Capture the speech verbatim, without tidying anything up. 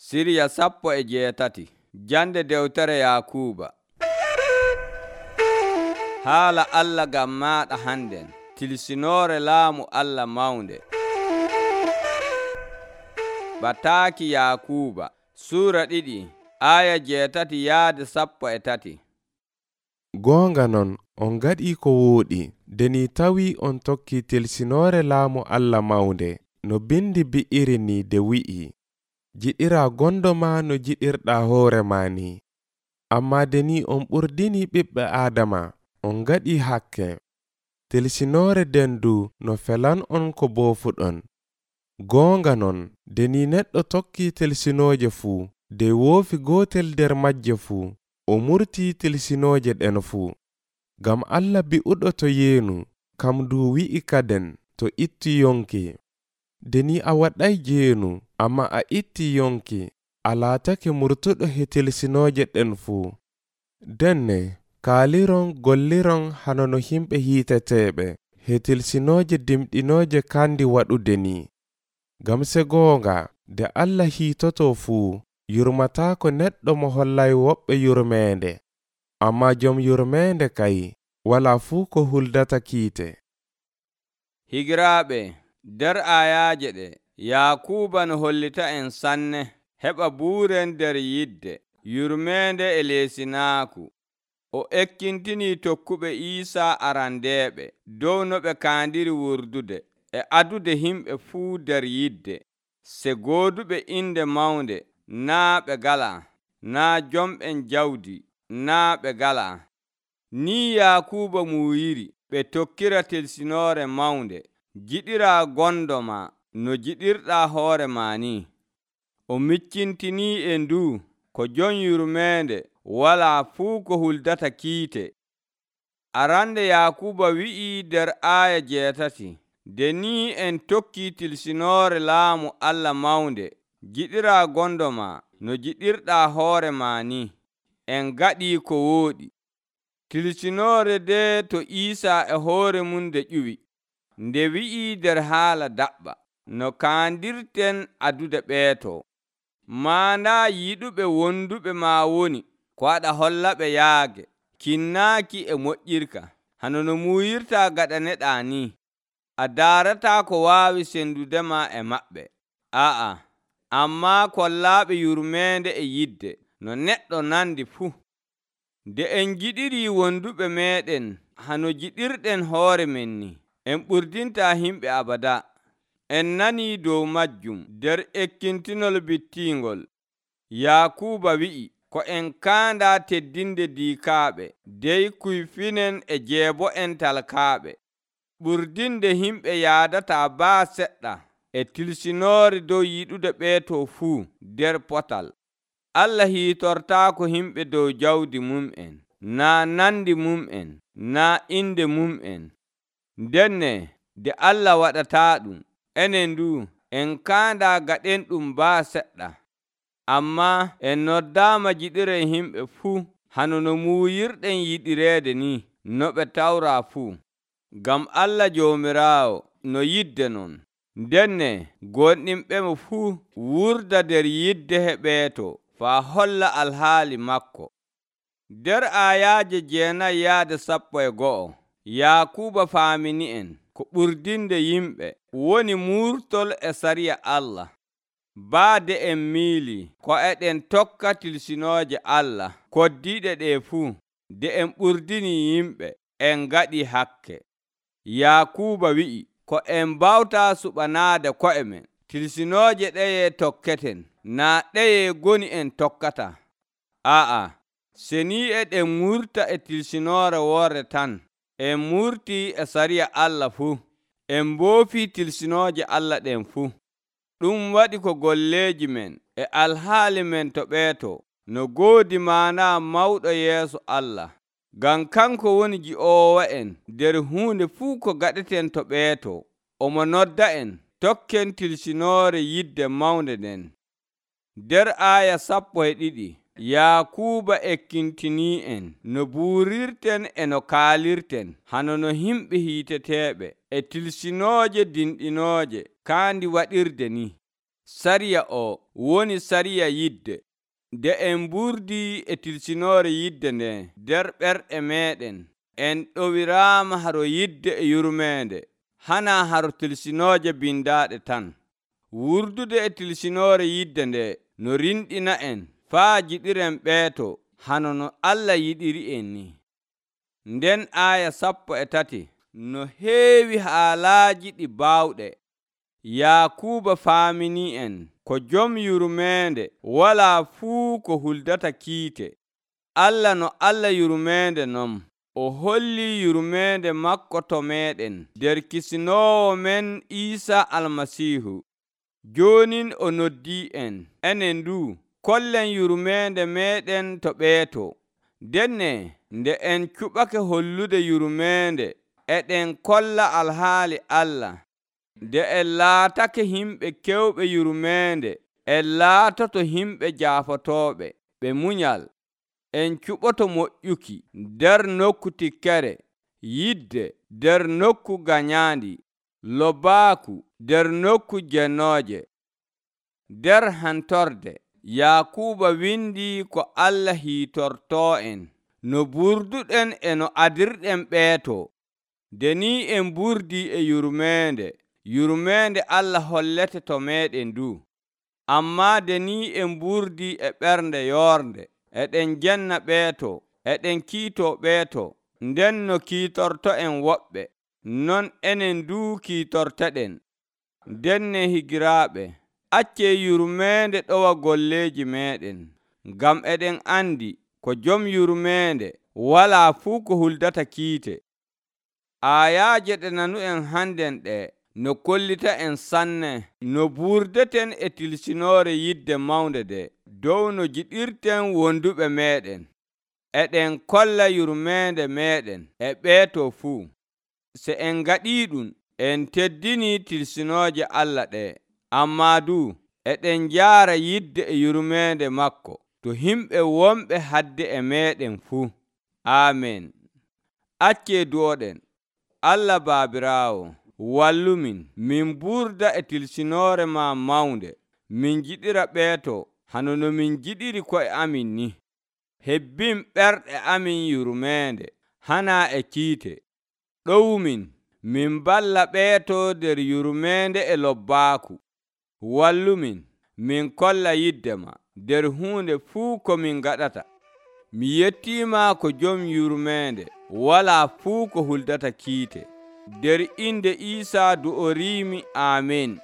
Siriya sappo e jeetati. Jande dewtere Yakuuba. Haala Allah ngam maaɗa hannden, tilsinoore laamu Allah mawnde. Bataaki Yakuuba suura ɗiɗi aya jeetati yaade sappo e tati. Goonga non, on ngaɗii ko wooɗi, nde ni tawii on tokkii tilsinoore laamu Allah mawnde, no bindi bi'iri ni de wi'i, jiɗiraa gondo ma no jiɗirɗaa hoore ma ni. Ammaa de ni on ɓurdini ɓiɓɓe Aadama, on ngaɗii hakke. Tilsinoore den du no felan on ko boofuɗon. Goonga non, de ni neɗɗo tokkii tilsinooje fuu, de woofi gootel nder majje fuu, o murtii tilsinooje ɗen fuu. Ngam Allah bi'uɗo to yeenu, kam du wi'i kaden to itti yonki. De ni a waɗay jeenu, amma a itti yonki, a laatake murtuɗo he tilsinooje ɗen fuu. Denne, kaaliron golliron hano no himɓe hiiteteeɓe, he tilsinooje dimɗinooje kandi waɗude ni. Ngam se goonga, de Allah hiitoto fuu, yurmataako neɗɗo mo hollay woɓɓe yurmeende. Ammaa jom yurmeende kay, walaa fuu ko huldata kiite. Higiraaɓe, nder ayaaje ɗe, Yakuuba no hollita en sanne heɓa buuren nder yidde, yurmeende e leesinaaku. O ekkintinii tokkuɓe Iisaa arandeeɓe dow no ɓe kaandiri wurdude e adude himɓe fuu nder yidde, se gooduɓe inde mawnde naa ɓe galaa, naa jomɓen jawdi naa ɓe galaa. Ni Yakuuba muuyiri ɓe tokkira tilsinoore mawnde, jiɗiraa gondo ma no jiɗirɗaa hoore ma ni. O miccintinii e ndu ko jon yurmeende walaa fuu ko huldata kiite. Arande Yakuuba wi'ii nder aaya jeetati, de ni en tokkii tilsinoore laamu Allah mawnde, jiɗiraa gondo ma no jiɗirɗaa hoore ma ni, en ngaɗii ko wooɗi. Tilsinoore de to Iisaa e hoore mum nde ƴuwi, nde wi'ii nder haala daɓɓa, no kaandirten adude ɓeeto. Maandaa yiɗuɓe wonduɓe ma woni ko aɗa hollaɓe yaage, kinnaaki e moƴƴirka, hano no muuyirtaa gaɗaneɗaa ni. A daarataa ko waawi sendudema e maɓɓe. Aa, ammaa kollaaɓe yurmeende e yidde, no neɗɗo nandi fuu. Nde en jiɗirii wonduɓe meeɗen hano jiɗirɗen hoore men ni, en ɓurdintaa himɓe abada. En nanii dow majjum nder ekkintinol bittiingol. Yakuuba wi'i ko en kaandaa teddinde diikaaɓe, dey kuyfinen e jeebo'en talkaaɓe. Ɓurdinde himɓe yaadataa baa seɗɗa e tilsinoore dow yiɗude ɓeeto fuu nder potal. Allah hiitortaako himɓe dow jawdi mum'en, naa nandi mum'en, naa inde mum'en. Ndenne de Allah waɗataa ɗum, enen du en kaandaa gaɗen ɗum baa seɗɗa. Ammaa en noddaama jiɗiren himɓe fuu, hano no muuyirɗen yiɗireede ni, no ɓe tawraa fuu. Ngam Allah Joomiraawo no yidde non. Ndenne gonɗinɓemo fuu wurda nder yidde he ɓeeto faa holla alhaali makko. Nder aayaaje jeenayi yaade sappo e go'o, Yakuuba faamini en ko ɓurdinde yimɓe woni muurtol e sariya Allah. Baade en miilii ko eɗen tokka tilsinooje Allah koddiiɗe ɗe fuu, de en ɓurdini yimɓe, en ngaɗi hakke. Yakuuba wi'i ko en mbawtaa suɓanaade ko'e men, tilsinooje ɗeye tokketen, naa ɗeye goni en tokkata. Aa, se ni eɗen murta e tilsinoore woore tan, en murtii e sariya Allah fuu, en mboofii tilsinooje Allah ɗen fuu. Ɗum waɗi ko golleeji men e alhaali men to ɓeeto no goodi maana mawɗo yeeso Allah. Ngam kanko woni ji'oowo en nder huunde fuu ko gaɗeten to ɓeeto. Omo nodda en tokken tilsinoore yidde mawnde nden. Nder aaya sappo e ɗiɗi, Yakuuba ekkintinii en no buurirten e no kaalirten, hano no himɓe hiiteteeɓe e tilsinooje dinɗinooje kaandi waɗirde ni. sariya o woni sariya yidde. Nde en mburdi e tilsinoore yidde nde nder ɓerɗe meeɗen, en ɗowiraama haro yidde e yurmeende, hana haro tilsinooje bindaaɗe tan. Wurdude e tilsinoore yidde nde no rinɗina en faa jiɗiren ɓeeto hano no Allah yiɗiri en ni. Nden aaya sappo e tati no heewi haalaaji ɗi baawɗe. Yaakuuba faaminii en ko jom yurmeende walaa fuu ko huldata kiite. Allah no Allah yurmeende non, o hollii yurmeende makko to meeɗen nder Kisinoowo men Iisaa Almasiihu. Joonin o noddii en, enen du kollen yurmeende meeɗen to ɓeeto. Denne nde en cuɓake hollude yurmeende, eɗen kolla alhaali Allah. Nde en laatake yimɓe kewɓe yurmeende, en laatoto yimɓe jaafotooɓe ɓe munyal. En cuɓoto moƴƴuki nder nokku tikkere, yidde nder nokku ganyaandi, lobaaku nder nokku jennooje. Nder hantorde, Yaakuuba windi ko Allah hiitortoo en no burduɗen e no adirɗen ɓeeto. Nde ni en mburdi e yurmeende, yurmeende Allah hollete to meeɗen du. Ammaa nde ni en mburdi e ɓernde yoornde, eɗen jenna ɓeeto, eɗen kiitoo ɓeeto, nden no kiitorto en woɓɓe, non enen du kiitorteɗen. Denne higiraaɓe, accee yurmeende ɗowa golleeji meeɗen, ngam eɗen andi ko jom yurmeende walaa fuu ko huldata kiite. Aayaaje ɗe nanu'en hannden ɗe no kollita en sanne no burdeten e tilsinoore yidde mawnde de dow no jiɗirten wonduɓe meeɗen. Eɗen kolla yurmeende meeɗen e ɓeeto fuu. Se en ngaɗii ɗum, en teddini tilsinooje Allah ɗe, ammaa du eɗen njaara yidde e yurmeende makko to yimɓe wonɓe hadde e meeɗen fuu. Aamen. Accee du'oɗen. Allah Baabiraawo, wallumin min burda e tilsinoore ma mawnde, min jiɗira ɓeeto hano no min jiɗiri ko'e amin ni. Hebbin ɓerɗe amin yurmeende, hana e kiite. Ɗowmin min balla ɓeeto nder yurmeende e lobbaaku. Wallumin min kolla yidde ma nder huunde fuu ko min gaɗata. Mi yettiima ko jom yurmeende walaa fuu ko huldata kiite. Nder inde Iisaa du'oriimi. Aamen.